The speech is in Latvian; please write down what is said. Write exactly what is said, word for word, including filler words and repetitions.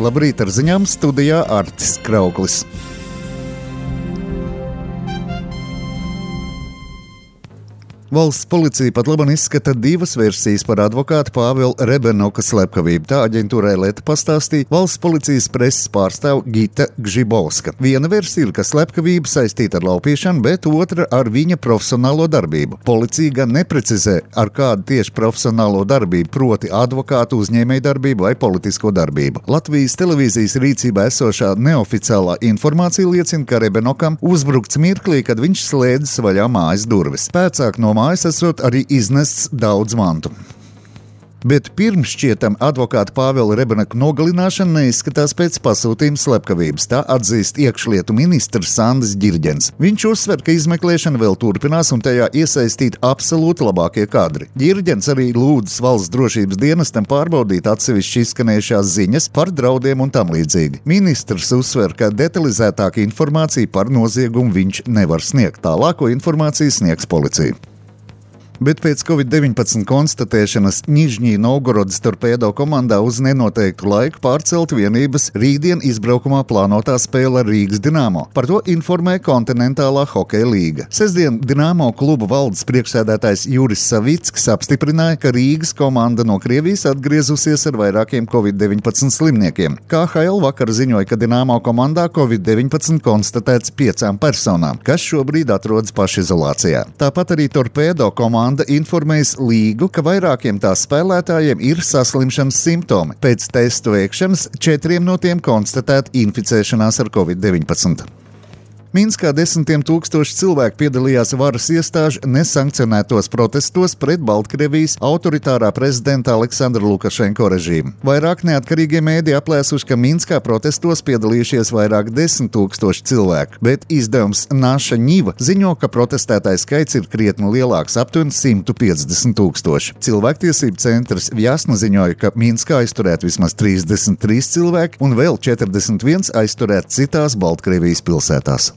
Labrīt, ar ziņām studijā Artis Krauklis. Valsts policija pat labam izskata divas versijas par advokāta Pāvila Rebenoka slepkavību. Tā aģentūrai Leta pastāstīja valsts policijas preses pārstāve Gita Gžibovska. Viena versija ir, ka slepkavība saistīta ar laupīšanu, bet otra ar viņa profesionālo darbību. Policija gan neprecizē, ar kādu tieši profesionālo darbību, proti advokātu uzņēmēju darbību vai politisko darbību. Latvijas televīzijas rīcībā esošā neoficiālā informācija liecina, ka Rebenokam uzbrukts mirklī, kad viņš slēdzas vaļā mājas durvis. Pēcāk no mājas esot arī iznests daudz mantu. Bet pirms šķietam advokāta Pāvila Rebenoka nogalināšana neizskatās pēc pasūtījuma slepkavības. Tā atzīst iekšlietu ministrs Sandis Ģirģens. Viņš uzsver, ka izmeklēšana vēl turpinās un tajā iesaistīti absolūti labākie kadri. Ģirģens arī lūdzas valsts drošības dienestam pārbaudīt atsevišķi izskanējušās ziņas par draudiem un tam līdzīgi. Ministrs uzsver, ka detalizētāku informāciju par noziegumu viņš nevar sniegt. Tālāko informāciju sniegs policija. Bet pēc covid deviņpadsmit konstatēšanas Nižņī Novgorodas torpēdo komandā uz nenoteiktu laiku pārcelt vienības rītdien izbraukumā plānotā spēle ar Rīgas Dinamo. Par to informē Kontinentālā hokeja līga. Sestdien Dinamo kluba valdes priekšsēdētājs Juris Savicks apstiprināja, ka Rīgas komanda no Krievijas atgriezusies ar vairākiem covid deviņpadsmit slimniekiem. K H L vakar ziņoja, ka Dinamo komandā covid deviņpadsmit konstatēts piecām personām, kas šobrīd atrodas pašizolācijā. Tāpat arī torpēdo komanda informējas līgu, ka vairākiem tās spēlētājiem ir saslimšanas simptomi. Pēc testu veikšanas četriem no tiem konstatēta inficēšanās ar covid deviņpadsmit. Minskā desmitiem tūkstoši cilvēku piedalījās varas iestāžu nesankcionētos protestos pret Baltkrievijas autoritārā prezidenta Aleksandra Lukašenko režīmu. Vairāk neatkarīgie mēdī aplēsuši, ka Minskā protestos piedalījušies vairāk desmit tūkstoši cilvēku, bet izdevums Naša Ņiva ziņo, ka protestētāju skaits ir krietni lielāks, aptuveni simt piecdesmit tūkstoši. Cilvēktiesību centrs Vjasna ziņoja, ka Minskā aizturēt vismaz trīsdesmit trīs cilvēki un vēl četrdesmit viens aizturēt citās Baltkrievijas pilsētās.